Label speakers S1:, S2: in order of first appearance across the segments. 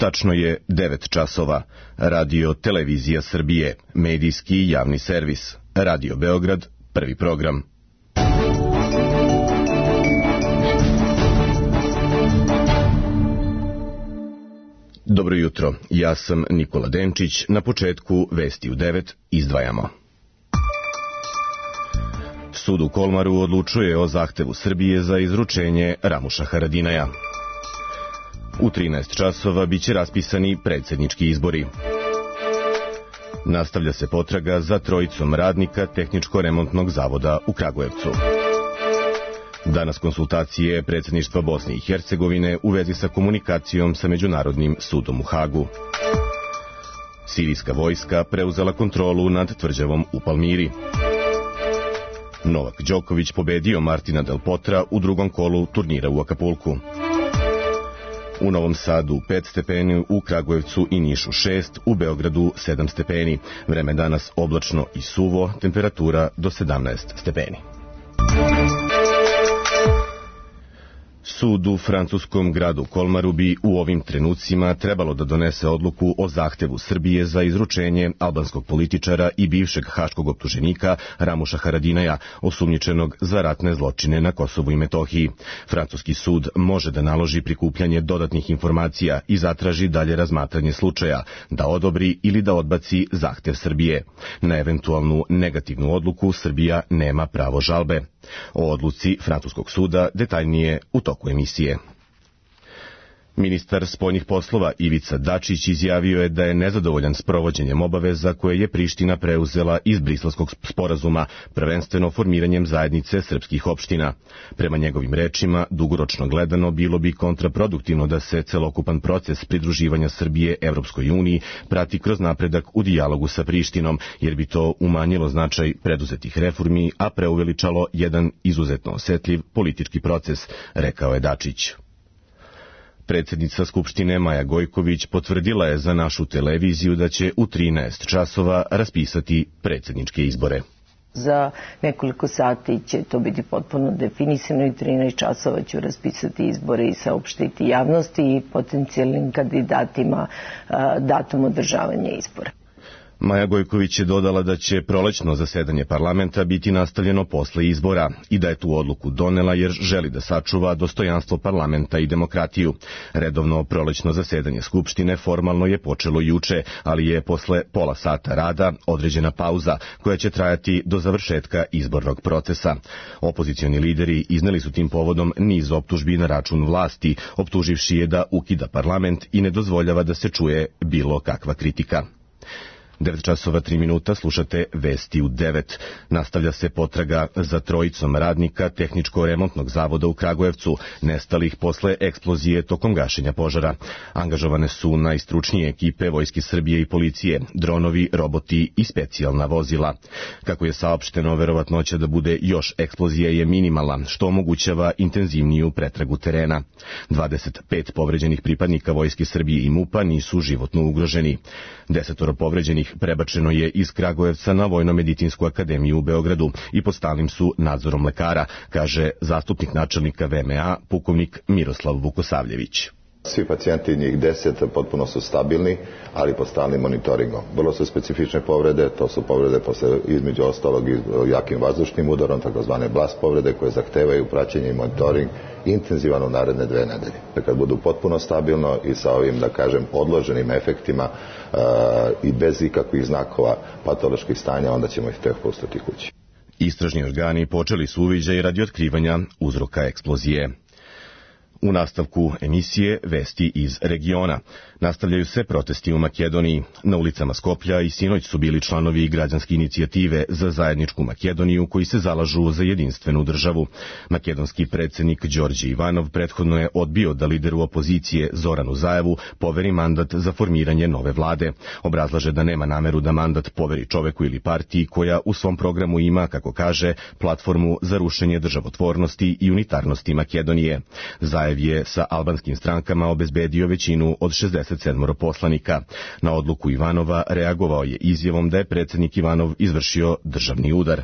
S1: Tačno je 9 časova. Radio Televizija Srbije, medijski javni servis. Radio Beograd, prvi program. Dobro jutro, ja sam Nikola Denčić. Na početku vesti u 9 izdvajamo. Sud u Kolmaru odlučuje o zahtevu Srbije za izručenje Ramuša Haradinaja. U 13 časova biće raspisani predsjednički izbori. Nastavlja se potraga za trojicom radnika Tehničko-remontnog zavoda u Kragujevcu. Danas konsultacije predsjedništva Bosne i Hercegovine u vezi sa komunikacijom sa Međunarodnim sudom u Hagu. Sirijska vojska preuzela kontrolu nad tvrđavom u Palmiri. Novak Đoković pobedio Martina Del Potra u drugom kolu turnira u Akapulku. U Novom Sadu 5 stepeni, u Kragujevcu i Nišu 6, u Beogradu 7 stepeni. Vreme danas oblačno i suvo, temperatura do 17 stepeni. Sud u francuskom gradu Kolmaru bi u ovim trenucima trebalo da donese odluku o zahtevu Srbije za izručenje albanskog političara i bivšeg haškog optuženika Ramuša Haradinaja, osumnjičenog za ratne zločine na Kosovu i Metohiji. Francuski sud može da naloži prikupljanje dodatnih informacija i zatraži dalje razmatranje slučaja, da odobri ili da odbaci zahtev Srbije. Na eventualnu negativnu odluku Srbija nema pravo žalbe. O odluci francuskog suda detaljnije u toku emisije. Ministar spoljnih poslova Ivica Dačić izjavio je da je nezadovoljan s provođenjem obaveza koje je Priština preuzela iz Briselskog sporazuma, prvenstveno formiranjem zajednice srpskih opština. Prema njegovim rečima, dugoročno gledano bilo bi kontraproduktivno da se celokupan proces pridruživanja Srbije Evropskoj uniji prati kroz napredak u dijalogu sa Prištinom, jer bi to umanjilo značaj preduzetih reformi, a preuveličalo jedan izuzetno osetljiv politički proces, rekao je Dačić. Predsjednica Skupštine Maja Gojković potvrdila je za našu televiziju da će u 13 časova raspisati predsjedničke izbore.
S2: Za nekoliko sati će to biti potpuno definisano i 13 časova ću raspisati izbore i saopštiti javnosti i potencijalnim kandidatima datum održavanja izbora.
S1: Maja Gojković je dodala da će prolećno zasedanje parlamenta biti nastavljeno posle izbora i da je tu odluku donela jer želi da sačuva dostojanstvo parlamenta i demokratiju. Redovno prolećno zasedanje Skupštine formalno je počelo juče, ali je posle pola sata rada određena pauza koja će trajati do završetka izbornog procesa. Opozicioni lideri izneli su tim povodom niz optužbi na račun vlasti, optuživši je da ukida parlament i ne dozvoljava da se čuje bilo kakva kritika. 9 časova 3 minuta, slušate vesti u 9. Nastavlja se potraga za trojicom radnika Tehničko-remontnog zavoda u Kragujevcu, nestalih posle eksplozije tokom gašenja požara. Angažovane su najstručnije ekipe Vojske Srbije i policije, dronovi, roboti i specijalna vozila. Kako je saopšteno, verovatnoća da bude još eksplozija je minimalna, što omogućava intenzivniju pretragu terena. 25 povređenih pripadnika Vojske Srbije i MUP-a nisu životno ugroženi. 10 povređenih prebačeno je iz Kragujevca na Vojno-medicinsku akademiju u Beogradu i pod stalnim su nadzorom lekara, kaže zastupnik načelnika VMA, pukovnik Miroslav Vukosavljević.
S3: Svi pacijenti, njih 10, potpuno su stabilni, ali pod stalnim monitoringom. Vrlo su specifične povrede, to su povrede između ostalog i jakim vazdušnim udarom, takozvane blast povrede koje zahtevaju praćenje i monitoring intenzivan u naredne 2 nedelje. Kad budu potpuno stabilno i sa ovim, da kažem, odloženim efektima i bez ikakvih znakova patoloških stanja, onda ćemo ih tek pustiti kući.
S1: Istražni organi počeli su uviđaj radi otkrivanja uzroka eksplozije. U nastavku emisije vesti iz regiona. Nastavljaju se protesti u Makedoniji. Na ulicama Skoplja i sinoć su bili članovi građanske inicijative za zajedničku Makedoniju koji se zalažu za jedinstvenu državu. Makedonski predsjednik Đorđe Ivanov prethodno je odbio da lideru opozicije Zoranu Zaevu poveri mandat za formiranje nove vlade. Obrazlaže da nema nameru da mandat poveri čoveku ili partiji koja u svom programu ima, kako kaže, platformu za rušenje državotvornosti i unitarnosti Makedonije. Zaev Zaev je sa albanskim strankama obezbedio većinu od 67 poslanika. Na odluku Ivanova reagovao je izjavom da je predsjednik Ivanov izvršio državni udar.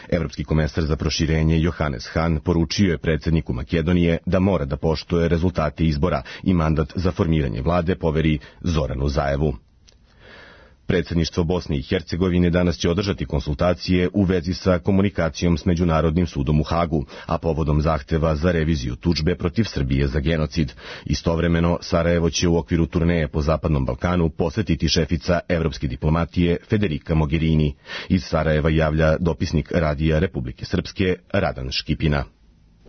S1: Evropski komesar za proširenje Johannes Hahn poručio je predsjedniku Makedonije da mora da poštuje rezultate izbora i mandat za formiranje vlade poveri Zoranu Zaevu. Predsjedništvo Bosne i Hercegovine danas će održati konsultacije u vezi sa komunikacijom s Međunarodnim sudom u Hagu, a povodom zahteva za reviziju tužbe protiv Srbije za genocid. Istovremeno, Sarajevo će u okviru turneje po Zapadnom Balkanu posjetiti šefica evropske diplomatije Federica Mogherini. Iz Sarajeva javlja dopisnik Radija Republike Srpske Radan Škipina.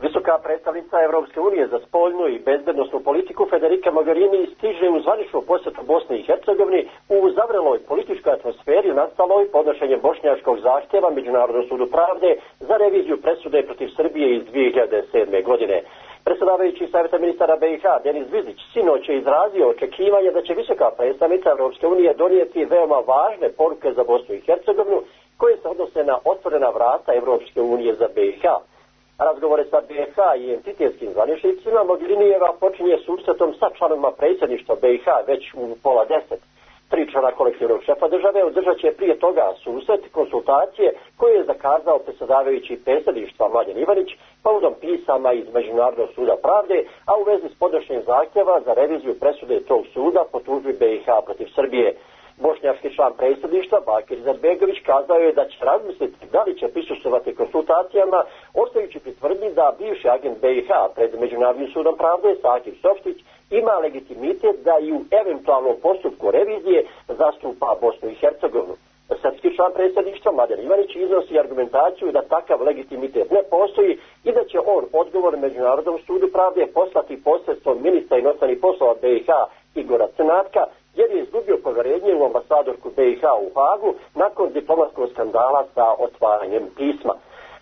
S4: Visoka predstavnica Evropske unije za spoljnu i bezbednosnu politiku Federica Mogherini stiže u zvaničnu posjetu Bosne i Hercegovini u zavreloj političkoj atmosferi nastaloj podnošenjem bošnjačkog zahtjeva Međunarodnom sudu pravde za reviziju presude protiv Srbije iz 2007. godine. Predsjedavajući Savjeta ministara BiH Denis Vizić sinoć je izrazio očekivanje da će visoka predstavnica Evropske unije donijeti veoma važne poruke za Bosnu i Hercegovinu koje se odnose na otvorena vrata Evropske unije za BiH. Razgovore sa BiH i entitetskim zvaničnicima Mogherinijeva počinje susretom sa članovima predsjedništva BiH već u 9:30. 3 člana kolektivnog šefa države održat će prije toga susret konsultacije koje je zakazao predsjedavajući predsjedništva Mladen Ivanić povodom pisama iz Međunarodnog suda pravde, a u vezi s podnošenjem zahtjeva za reviziju presude tog suda po tužbi BiH protiv Srbije. Bošnjački član predsjedništva Bakir Izetbegović kazao je da će razmisliti da li će prisustvovati konsultacijama, ostajući pri tvrdnji da bivši agent BiH pred Međunarodnim sudom pravde Sakir Softić ima legitimitet da i u eventualnom postupku revizije zastupa Bosnu i Hercegovinu. Srpski član predsjedništva Mladen Ivanić iznosi argumentaciju da takav legitimitet ne postoji i da će on odgovor Međunarodnom sudu pravde poslati posredstvom ministra inostranih poslova BiH Igora Crnatka, jer je izgubio povjerenje u ambasadorku BiH u Hagu nakon diplomatskog skandala sa otvaranjem pisma.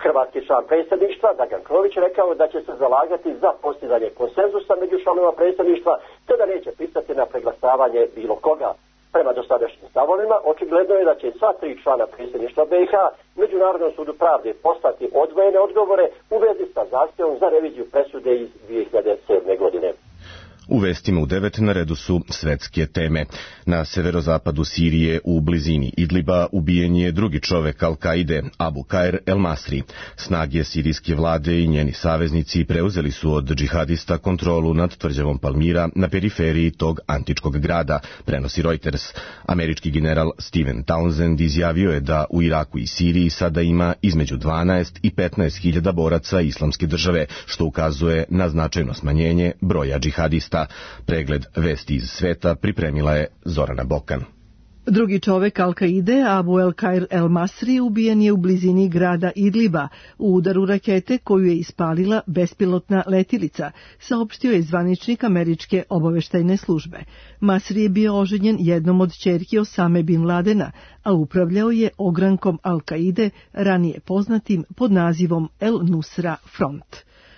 S4: Hrvatski član predsjedništva Dragan Krović rekao da će se zalagati za postizanje konsenzusa među članovima predsjedništva, te da neće pristati na preglasavanje bilo koga. Prema dosadašnjim stavovima, očigledno je da će sva 3 člana predsjedništva BiH Međunarodnom sudu pravde poslati odvojene odgovore u vezi sa zahtjevom za reviziju presude iz 2007. godine.
S1: U vestima u 9 na redu su svetske teme. Na severozapadu Sirije u blizini Idliba ubijen je drugi čovek Al-Kaide, Abu Kair el-Masri. Snage sirijske vlade i njeni saveznici preuzeli su od džihadista kontrolu nad tvrđavom Palmira na periferiji tog antičkog grada, prenosi Reuters. Američki general Steven Townsend izjavio je da u Iraku i Siriji sada ima između 12 i 15 hiljada boraca islamske države, što ukazuje na značajno smanjenje broja džihadista. Pregled vesti iz sveta pripremila je Zorana Bokan.
S5: Drugi čovek Al-Kaide, Abu el-Kair el-Masri, ubijen je u blizini grada Idliba u udaru rakete koju je ispalila bespilotna letilica, saopštio je zvaničnik američke obaveštajne službe. Masri je bio oženjen jednom od ćerki Osame bin Ladena, a upravljao je ogrankom Al-Kaide, ranije poznatim pod nazivom El Nusra Front.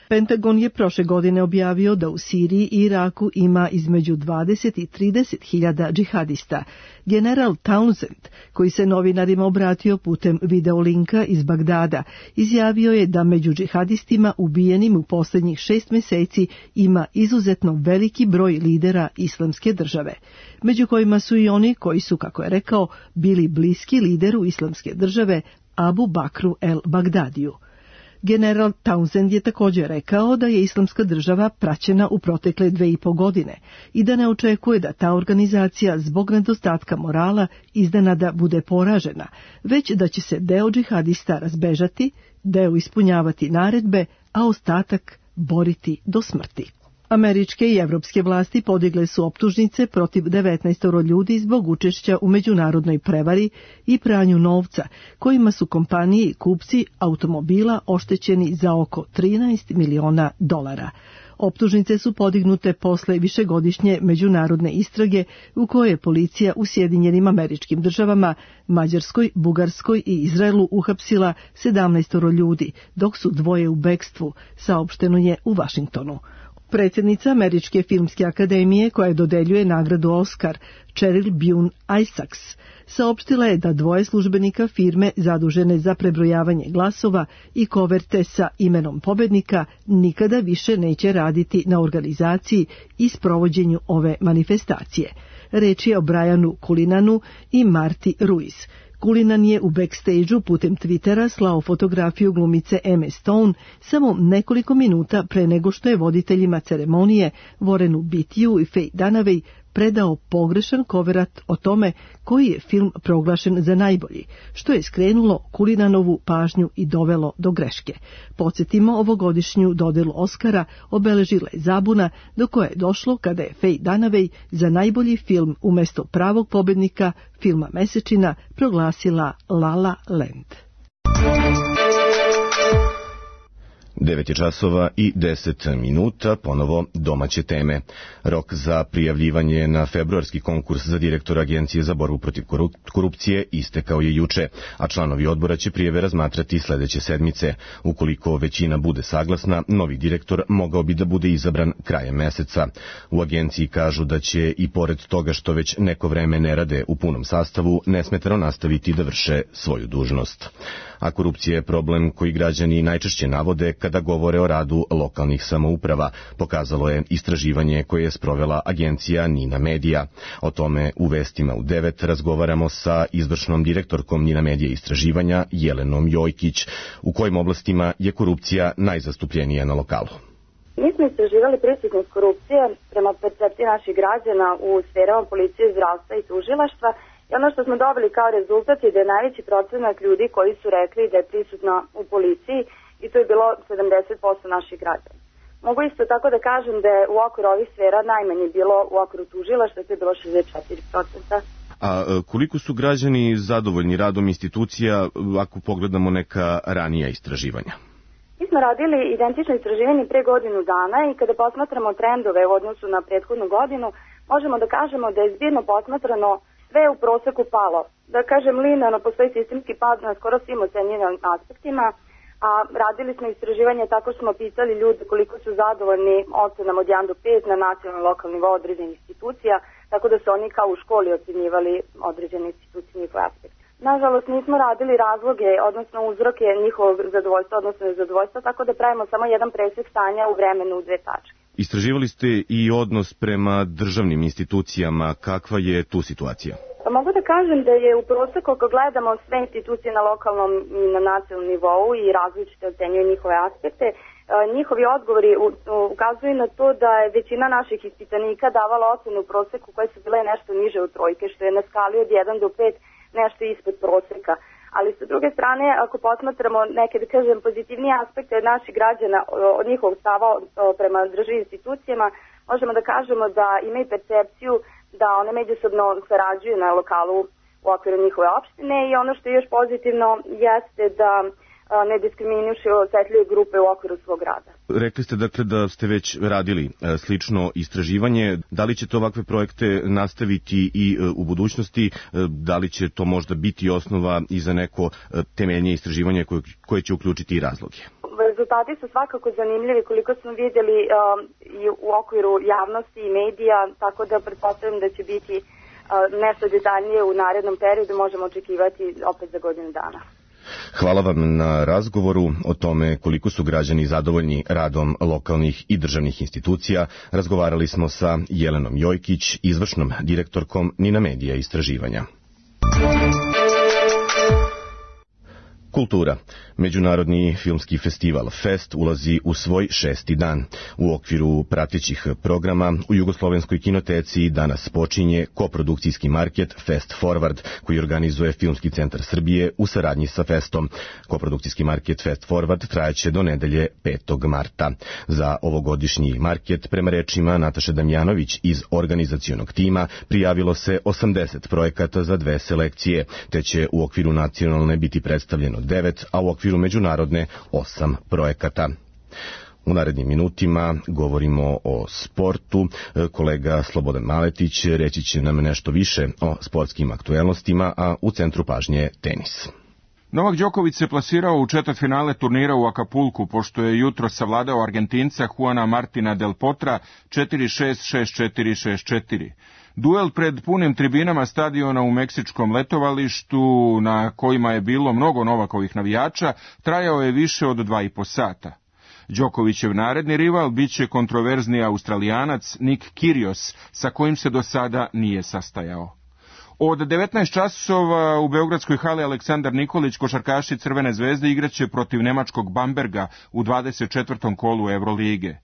S5: Pentagon je prošle godine objavio da u Siriji i Iraku ima između 20 i 30 hiljada džihadista. General Townsend, koji se novinarima obratio putem videolinka iz Bagdada, izjavio je da među džihadistima ubijenim u posljednjih 6 mjeseci ima izuzetno veliki broj lidera islamske države, među kojima su i oni koji su, kako je rekao, bili bliski lideru islamske države Abu Bakru el-Bagdadiju. General Townsend je također rekao da je islamska država praćena u protekle 2,5 godine i da ne očekuje da ta organizacija zbog nedostatka morala iznenada bude poražena, već da će se deo džihadista razbežati, deo ispunjavati naredbe, a ostatak boriti do smrti. Američke i evropske vlasti podigle su optužnice protiv 19 ljudi zbog učešća u međunarodnoj prevari i pranju novca, kojima su kompanije i kupci automobila oštećeni za oko $13 miliona. Optužnice su podignute posle višegodišnje međunarodne istrage u kojoj je policija u Sjedinjenim Američkim Državama, Mađarskoj, Bugarskoj i Izraelu uhapsila 17 ljudi, dok su 2 u bekstvu, saopšteno je u Vašingtonu. Predsjednica Američke filmske akademije, koja dodeljuje nagradu Oscar, Cheryl Bune Isaacs, saopštila je da dvoje službenika firme zadužene za prebrojavanje glasova i koverte sa imenom pobednika nikada više neće raditi na organizaciji i sprovođenju ove manifestacije. Reč je o Brianu Culinanu i Marti Ruiz. Culinan je u backstage-u putem Twittera slao fotografiju glumice Emma Stone samo nekoliko minuta pre nego što je voditeljima ceremonije Warrenu Beattyu i Faye Dunaway predao pogrešan koverat o tome koji je film proglašen za najbolji, što je skrenulo Culinanovu pažnju i dovelo do greške. Podsjetimo, ovogodišnju dodelu Oscara obeležila je zabuna do koje je došlo kada je Faye Dunaway za najbolji film umjesto pravog pobednika filma mesečina proglasila La La Land.
S1: 9:10, ponovo domaće teme. Rok za prijavljivanje na februarski konkurs za direktora Agencije za borbu protiv korupcije istekao je juče, a članovi odbora će prijave razmatrati sledeće sedmice. Ukoliko većina bude saglasna, novi direktor mogao bi da bude izabran krajem meseca. U agenciji kažu da će i pored toga što već neko vreme ne rade u punom sastavu, nesmetano nastaviti da vrše svoju dužnost. A korupcija je problem koji građani najčešće navode kada govore o radu lokalnih samouprava, pokazalo je istraživanje koje je sprovela agencija Nina Medija. O tome u vestima u 9 razgovaramo sa izvršnom direktorkom Nina Medija istraživanja Jelenom Jojkić. U kojim oblastima je korupcija najzastupljenija na lokalu?
S6: Mi smo istraživali prisutnost korupcije prema percepciji naših građana u sferama policije, zdravstva i tužilaštva. I ono što smo dobili kao rezultat je da je najveći procenat ljudi koji su rekli da je prisutna u policiji i to je bilo 70% naših građana. Mogu isto tako da kažem da je u okviru ovih sfera najmanje bilo u okviru tužilaštva, to je bilo 64%.
S1: A koliko su građani zadovoljni radom institucija ako pogledamo neka ranija istraživanja?
S6: Mi smo radili identično istraživanje pre godinu dana i kada posmatramo trendove u odnosu na prethodnu godinu, možemo da kažemo da je zbirno posmatrano sve u proseku palo. Da kažem, linearno postoji sistemski pad na skoro svim ocenjenim aspektima, a radili smo istraživanje tako što smo pitali ljude koliko su zadovoljni ocenama od 1 do 5 na nacionalnom lokalnom nivou određenih institucija, tako da su oni kao u školi ocenjivali određene institucije njihove aspekte. Nažalost, nismo radili razloge, odnosno uzroke njihovog zadovoljstva, odnosno nezadovoljstva, tako da pravimo samo jedan presek stanja u vremenu u 2 tačke.
S1: Istraživali ste i odnos prema državnim institucijama. Kakva je tu situacija?
S6: Pa mogu da kažem da je u proseku, ako gledamo sve institucije na lokalnom i na nacionalnom nivou i različite ocenjuju njihove aspekte, njihovi odgovori ukazuju na to da je većina naših ispitanika davala ocenu u proseku koje su bile nešto niže od trojke, što je na skali od 1 do 5 nešto ispod proseka. Ali sa druge strane, ako posmatramo neke, da kažem, pozitivnije aspekte od naših građana, od njihovog stava prema državnim institucijama, možemo da kažemo da imaju percepciju da one međusobno sarađuju na lokalu u okviru njihove opštine i ono što je još pozitivno jeste da ne diskriminušu osetljive grupe u okviru svog rada.
S1: Rekli ste dakle da ste već radili slično istraživanje. Da li ćete ovakve projekte nastaviti i u budućnosti? Da li će to možda biti osnova i za neko temeljnije istraživanje koje će uključiti i razloge?
S6: Rezultati su svakako zanimljivi koliko smo vidjeli i u okviru javnosti i medija, tako da pretpostavljam da će biti nešto detaljnije u narednom periodu, možemo očekivati opet za godinu dana.
S1: Hvala vam na razgovoru o tome koliko su građani zadovoljni radom lokalnih i državnih institucija. Razgovarali smo sa Jelenom Jojkić, izvršnom direktorkom Nina Medija istraživanja. Kultura. Međunarodni filmski festival Fest ulazi u svoj 6. dan. U okviru pratećih programa u Jugoslovenskoj kinoteci danas počinje koprodukcijski market Fest Forward, koji organizuje Filmski centar Srbije u saradnji sa Festom. Koprodukcijski market Fest Forward trajaće do nedelje 5. marta. Za ovogodišnji market, prema rečima Nataše Damjanović iz organizacionog tima, prijavilo se 80 projekata za 2 selekcije, te će u okviru nacionalne biti predstavljeno 9, a u okviru međunarodne 8 projekata. U narednim minutima govorimo o sportu. Kolega Slobodan Maletić reći će nam nešto više o sportskim aktuelnostima, a u centru pažnje tenis.
S7: Novak Đoković se plasirao u četvrtfinale turnira u Akapulku, pošto je jutro savladao Argentinca Juana Martina del Potra 4-6, 6-4, 6-4. Duel pred punim tribinama stadiona u meksičkom letovalištu, na kojima je bilo mnogo Novakovih navijača, trajao je više od 2,5 sata. Đokovićev naredni rival biće kontroverzni Australijanac Nick Kyrgios, sa kojim se do sada nije sastajao. Od 19 časova u beogradskoj hali Aleksandar Nikolić košarkaši Crvene zvezde igraće protiv nemačkog Bamberga u 24. kolu Evrolige.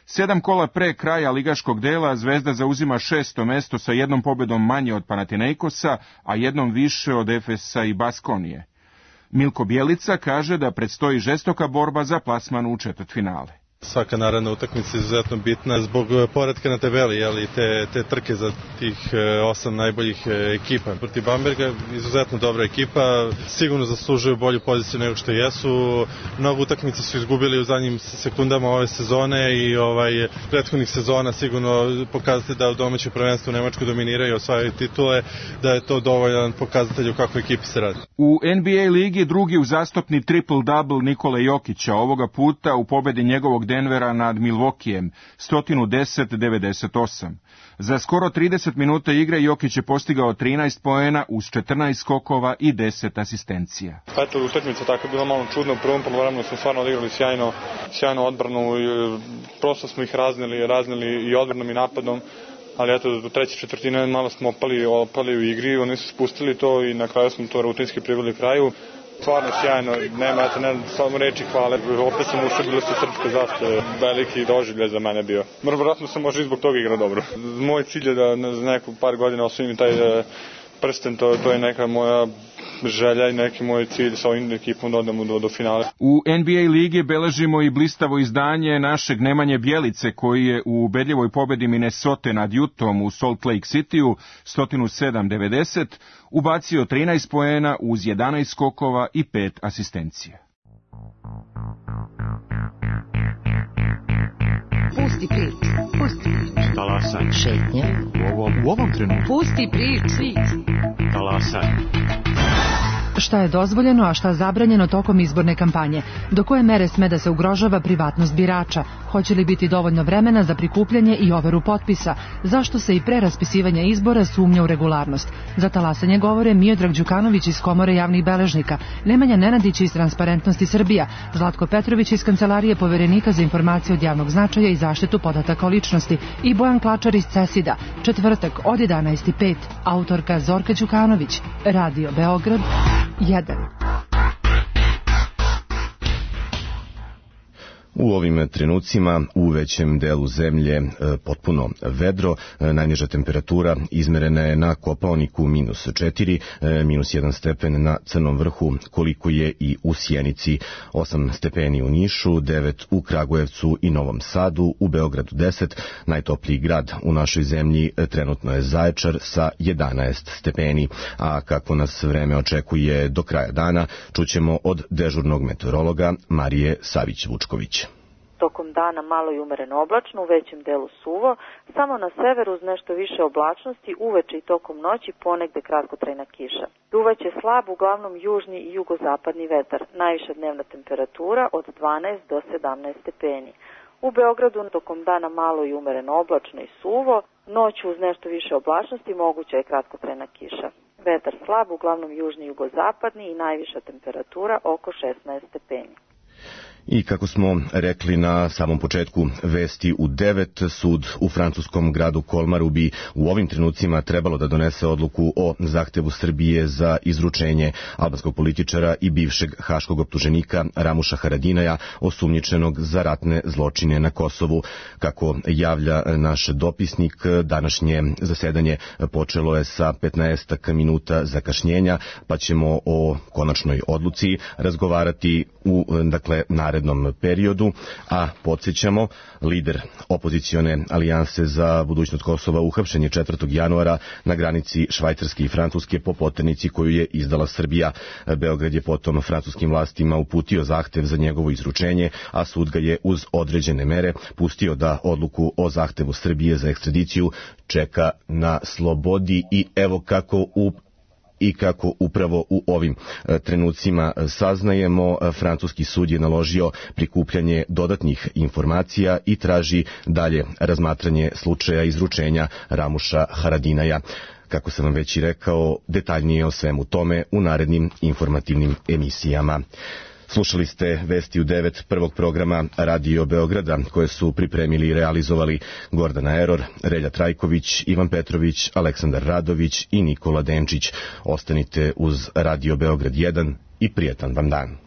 S7: 7 kola pre kraja ligaškog dela Zvezda zauzima 6. mesto sa jednom pobedom manje od Panathinaikosa, a jednom više od Efesa i Baskonije. Milko Bjelica kaže da predstoji žestoka borba za plasman u četvrtfinale.
S8: Svaka naredna utakmica je izuzetno bitna zbog poretka na tabeli, ali te trke za tih 8 najboljih ekipa. Protiv Bamberga izuzetno dobra ekipa, sigurno zaslužuju bolju poziciju nego što jesu. Mnogo utakmica su izgubili u zadnjim sekundama ove sezone i prethodnih sezona sigurno pokazati da u domaćem prvenstvu u Nemačkoj dominiraju i osvajaju titule, da je to dovoljan pokazatelj u kakvoj ekipi se radi.
S7: U NBA ligi drugi uzastopni triple-double Nikole Jokića, ovoga puta u pobedi njegovog Denvera nad Milwaukeeem 110-98. Za skoro 30 minuta igre Jokić je postigao 13 poena uz 14 skokova i 10 asistencija.
S9: Eto, utakmica tako je bila malo čudna. U prvom poluvremenu smo stvarno odigrali sjajno odbranu. Prosto smo ih raznili i odbranom i napadom. Ali eto, do treće četvrtine malo smo opali u igri. Oni su spustili to i na kraju smo to rutinski priveli kraju. Stvarno sjajno, nema samo reči hvale. Opet sam ušao, bilo su srpske zastave, veliki doživljaj za mene bio. Vjerojatno sam možda i zbog toga igra dobro. Moj cilj je da za neku par godina osvojim taj prsten, to je neka moja želja i neki moj cilj sa ovim ekipom da odemo do finale.
S7: U NBA ligi beležimo i blistavo izdanje našeg Nemanje Bjelice, koji je u ubedljivoj pobedi Minnesota nad Utahom u Salt Lake Cityu 107-90 ubacio 13 poena uz 11 skokova i 5 asistencija.
S10: Pusti priču.
S11: Talasaj.
S10: Šetnja.
S11: U ovom trenutku.
S10: Pusti priču.
S11: Talasaj.
S12: Šta je dozvoljeno, a šta zabranjeno tokom izborne kampanje? Do koje mere sme da se ugrožava privatnost birača? Hoće li biti dovoljno vremena za prikupljanje i overu potpisa? Zašto se i pre raspisivanja izbora sumnja u regularnost? Za talasanje govore Miodrag Đukanović iz Komore javnih beležnika, Nemanja Nenadić iz Transparentnosti Srbija, Zlatko Petrović iz Kancelarije Poverenika za informacije od javnog značaja i zaštitu podataka o ličnosti i Bojan Klačar iz CESID-a. Četvrtak od 11:05. Autorka Zorka Đukanović. Radio Beograd 1.
S1: U ovim trenucima u većem delu zemlje potpuno vedro, najniža temperatura izmerena je na Kopaoniku -4, -1 stepen na Crnom vrhu, koliko je i u Sjenici, 8 stepeni u Nišu, 9 u Kragujevcu i Novom Sadu, u Beogradu 10, najtopliji grad u našoj zemlji trenutno je Zaječar sa 11 stepeni, a kako nas vreme očekuje do kraja dana, čućemo od dežurnog meteorologa Marije Savić-Vučković.
S13: Tokom dana malo i umereno oblačno, u većem delu suvo, samo na severu uz nešto više oblačnosti, uveče i tokom noći ponegde kratkotrajna kiša. Duvaće slab, uglavnom južni i jugozapadni vetar, najviša dnevna temperatura od 12 do 17 stepeni. U Beogradu tokom dana malo i umereno oblačno i suvo, noću uz nešto više oblačnosti moguća je kratkotrajna kiša. Vetar slab, uglavnom južni i jugozapadni i najviša temperatura oko 16 stepeni.
S1: I kako smo rekli na samom početku vesti u 9, sud u francuskom gradu Kolmaru bi u ovim trenucima trebalo da donese odluku o zahtevu Srbije za izručenje albanskog političara i bivšeg haškog optuženika Ramuša Haradinaja, osumnjičenog za ratne zločine na Kosovu. Kako javlja naš dopisnik, današnje zasedanje počelo je sa 15 minuta zakašnjenja, pa ćemo o konačnoj odluci razgovarati u narednom periodu, a podsjećamo, lider opozicione alijanse za budućnost Kosova uhapšen je 4. januara na granici Švajcarske i Francuske po poternici koju je izdala Srbija. Beograd je potom francuskim vlastima uputio zahtev za njegovo izručenje, a sud ga je uz određene mere pustio da odluku o zahtevu Srbije za ekstradiciju čeka na slobodi. I evo kako u i kako upravo u ovim trenucima saznajemo, francuski sud je naložio prikupljanje dodatnih informacija i traži dalje razmatranje slučaja izručenja Ramuša Haradinaja. Kako sam vam već i rekao, detaljnije o svemu tome u narednim informativnim emisijama. Slušali ste Vesti u 9 prvog programa Radio Beograda, koje su pripremili i realizovali Gordana Eror, Relja Trajković, Ivan Petrović, Aleksandar Radović i Nikola Denčić. Ostanite uz Radio Beograd 1 i prijetan vam dan.